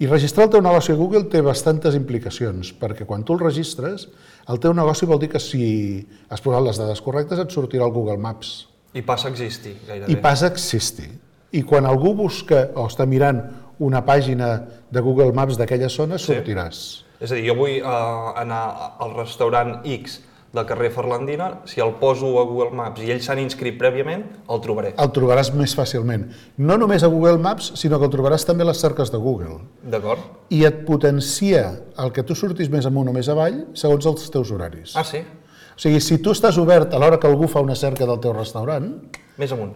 I registrar el teu negoci a Google té bastantes implicacions, perquè quan tu el registres, el teu negoci vol dir que si has posat les dades correctes et sortirà el Google Maps. I passa a existir, gairebé. I passa a existir. I quan algú busca o està mirant una pàgina de Google Maps d'aquella zona, sortiràs. És a dir, jo vull anar al restaurant X del carrer Ferlandina, si el poso a Google Maps i ells s'han inscrit prèviament, el trobaré. El trobaràs més fàcilment. No només a Google Maps, sinó que el trobaràs també a les cerques de Google. D'acord. I et potencia el que tu surtis més amunt o més avall segons els teus horaris. Ah, sí? O sigui, si tu estàs obert a l'hora que algú fa una cerca del teu restaurant... Més amunt.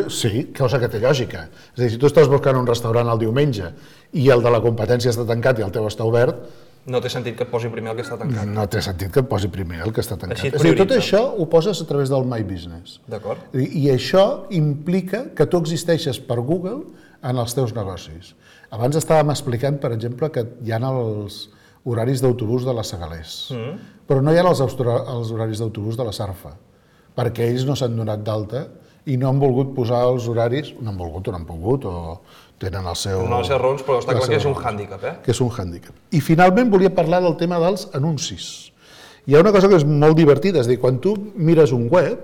Sí, cosa que té lògica. És a dir, si tu estàs buscant un restaurant el diumenge i el de la competència està tancat i el teu està obert... No té sentit que et posi primer el que està tancat. No té sentit que et posi primer el que està tancat. Així et és a dir, tot això ho poses a través del My Business. D'acord. I això implica que tu existeixes per Google en els teus negocis. Abans estàvem explicant, per exemple, que hi ha els horaris d'autobús de la Segalés, però no hi ha els horaris d'autobús de la Sarfa, perquè ells no s'han donat d'alta i no han volgut posar els horaris, no han volgut o no han pogut, o tenen el seu... No les seves raons, però està clar que és un hàndicap, Que és un hàndicap. I finalment volia parlar del tema dels anuncis. Hi ha una cosa que és molt divertida, és a dir, quan tu mires un web,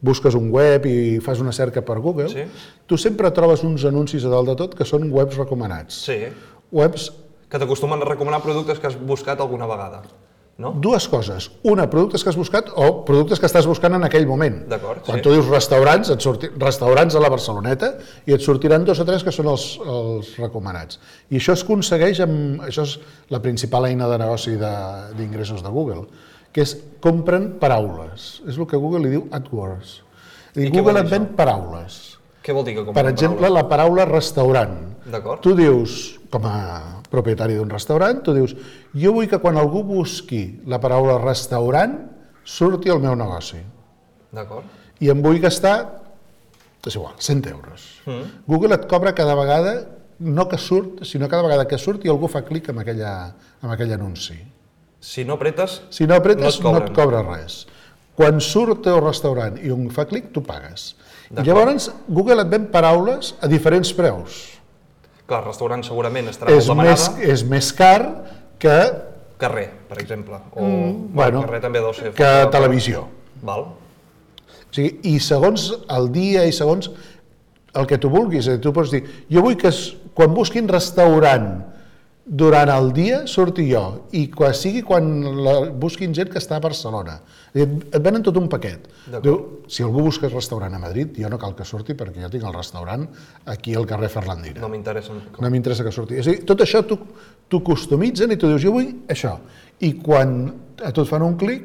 busques un web i fas una cerca per Google, tu sempre trobes uns anuncis a dalt de tot que són webs recomanats. Sí. Webs que t'acostumen a recomanar productes que has buscat alguna vegada. no? Dues coses. Una, productes que has buscat o productes que estàs buscant en aquell moment. D'acord, Quan tu dius restaurants, restaurants a la Barceloneta i et sortiran 2 o 3 que són els recomanats. I això es aconsegueix amb... Això és la principal eina de negoci d'ingressos de Google, que és compren paraules. És el que Google li diu AdWords. Google et ven paraules. Què vol dir que compren Per exemple, la paraula restaurant. D'acord. Tu dius, com a propietari d'un restaurant, tu dius, jo vull que quan algú busqui la paraula restaurant surti al meu negoci. D'acord. I em vull gastar, és igual, 100 euros. Google et cobra cada vegada, no que surt, sinó cada vegada que surt i algú fa clic amb aquell anunci. Si no apretes, no et cobra res. Quan surt el teu restaurant i un fa clic, tu pagues. I llavors Google et ven paraules a diferents preus. Clar, restaurant segurament estarà molt demanada. És més car que... Carrer, per exemple. O carrer també deu ser... Que televisió. Val. O sigui, i segons el dia i segons el que tu vulguis, tu pots dir, jo vull que quan busquin restaurant durant el dia surti jo, i sigui quan busquin gent que està a Barcelona. Et venen tot un paquet. Diu, si algú busca restaurant a Madrid, jo no cal que surti perquè jo tinc el restaurant aquí al carrer Ferlandina. No m'interessa. No m'interessa que surti. O sigui, tot això t'ho customitzen i tu dius, jo vull això. I quan a tu et fan un clic,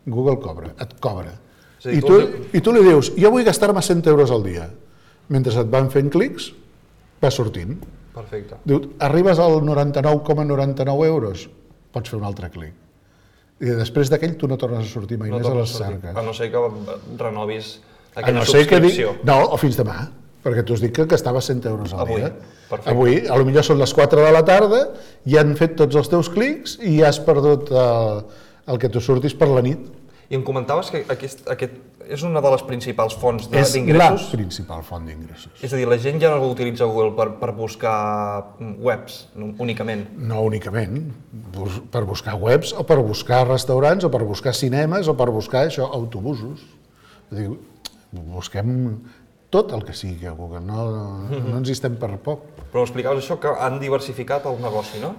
Google et cobra. I tu li dius, jo vull gastar-me 100 euros al dia. Mentre et van fent clics, va sortint. Perfecte. Diu, arribes al 99,99 euros, pots fer un altre clic. I després d'aquell tu no tornes a sortir mai més a les cerques. A no ser que renovis aquella subscripció. No, o fins demà, perquè tu has dit que gastaves 100 euros al dia. Perfecte. Avui, potser són les 4 de la tarda, i han fet tots els teus clics i has perdut el que tu surtis per la nit. I em comentaves que aquest és una de les principals fonts d'ingressos? És la principal font d'ingressos. És a dir, la gent ja no utilitza Google per buscar webs únicament? No únicament, per buscar webs o per buscar restaurants o per buscar cinemes o per buscar autobusos. Busquem tot el que sigui a Google, no ens hi estem per poc. Però explicaves això, que han diversificat el negoci, no?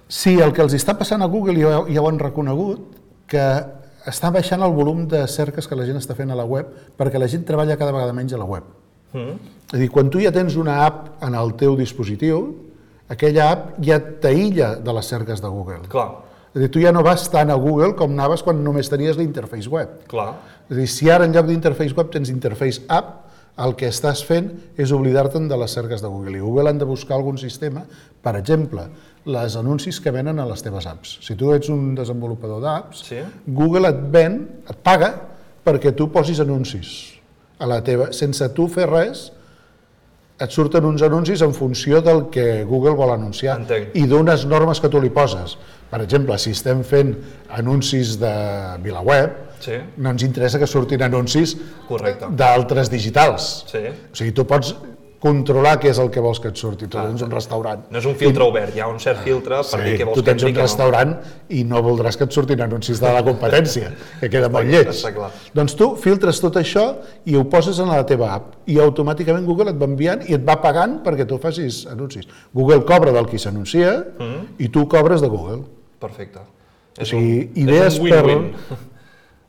Sí, el que els està passant a Google, ja ho han reconegut, que està baixant el volum de cerques que la gent està fent a la web perquè la gent treballa cada vegada menys a la web. És a dir, quan tu ja tens una app en el teu dispositiu, aquella app ja t'aïlla de les cerques de Google. Clar. És a dir, tu ja no vas tant a Google com anaves quan només tenies l'interface web. Clar. És a dir, si ara en lloc d'interface web tens interface app, el que estàs fent és oblidar-te'n de les cerques de Google. I Google han de buscar algun sistema, per exemple, les anuncis que venen a les teves apps. Si tu ets un desenvolupador d'apps, Google et paga perquè tu posis anuncis a la teva, sense tu fer res, et surten uns anuncis en funció del que Google vol anunciar i d'unes normes que tu li poses. Per exemple, si estem fent anuncis de VilaWeb, no ens interessa que surtin anuncis d'altres digitals. O sigui, tu pots controlar què és el que vols que et surti. Tu tens un restaurant. No és un filtre obert, hi ha un cert filtre per dir què vols que et surti. Tu tens un restaurant i no voldràs que et surtin anuncis de la competència, que queda molt lleig. Doncs tu filtres tot això i ho poses en la teva app i automàticament Google et va enviant i et va pagant perquè tu facis anuncis. Google cobra del qui s'anuncia i tu cobres de Google. Perfecte. O sigui, idees per...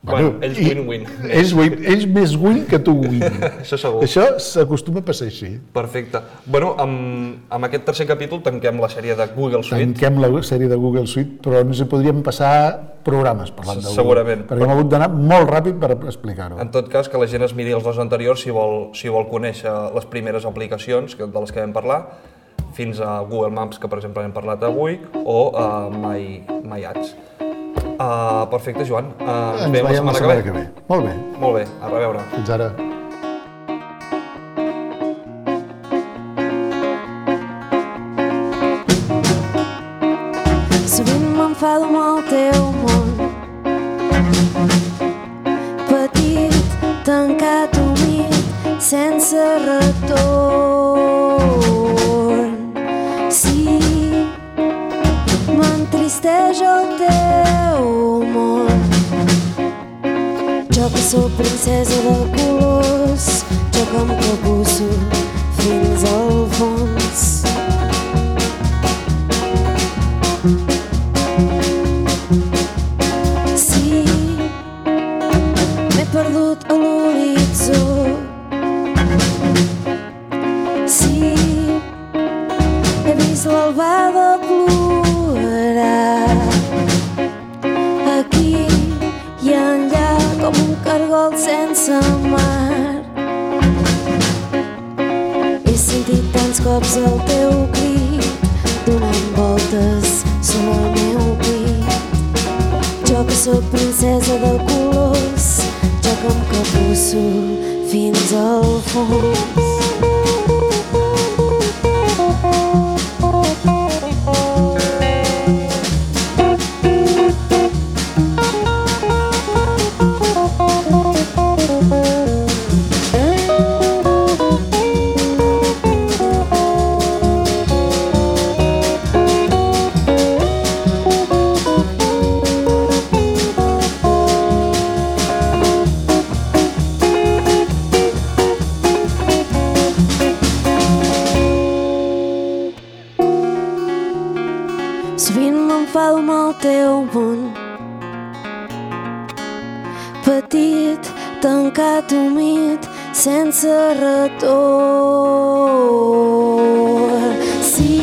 Bueno, ells win-win. Ells més win que tu win. Això segur. Això s'acostuma a passar així. Perfecte. Bueno, amb aquest tercer capítol tanquem la sèrie de Google Suite. Tanquem la sèrie de Google Suite, però ens hi podríem passar programes parlant de Google. Segurament. Perquè hem hagut d'anar molt ràpid per explicar-ho. En tot cas, que la gent es miri els dos anteriors si vol conèixer les primeres aplicacions de les que vam parlar, fins a Google Maps, que per exemple hem parlat avui, o My Ads. Perfecte, Joan. Ens veiem la setmana que ve. Molt bé. Molt bé, a reveure. Fins ara. Sovint m'enfado amb el teu món, petit, tancat, humit, sense retorn. Sí, m'entristeix el teu món. Jo que sóc princesa de colors, jo que em capusso fins al fons. perdut a l'horitzó. Sí, he vist l'albada plorar aquí i enllà com un cargol sense mar. He sentit tants cops el teu crit donant voltes sobre el meu pit. Jo que sóc princesa de colors, jo que em capusso fins al fons. Sovint m'enfado amb el teu món, petit, tancat, humit, sense retorn. Sí,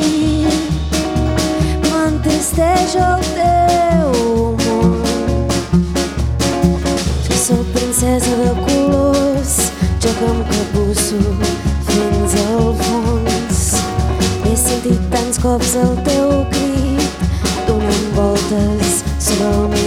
m'entristeix el teu món. Jo soc princesa de colors, jo que em capusso fins al fons. He sentit tants cops el teu crit donant voltes sobre el meu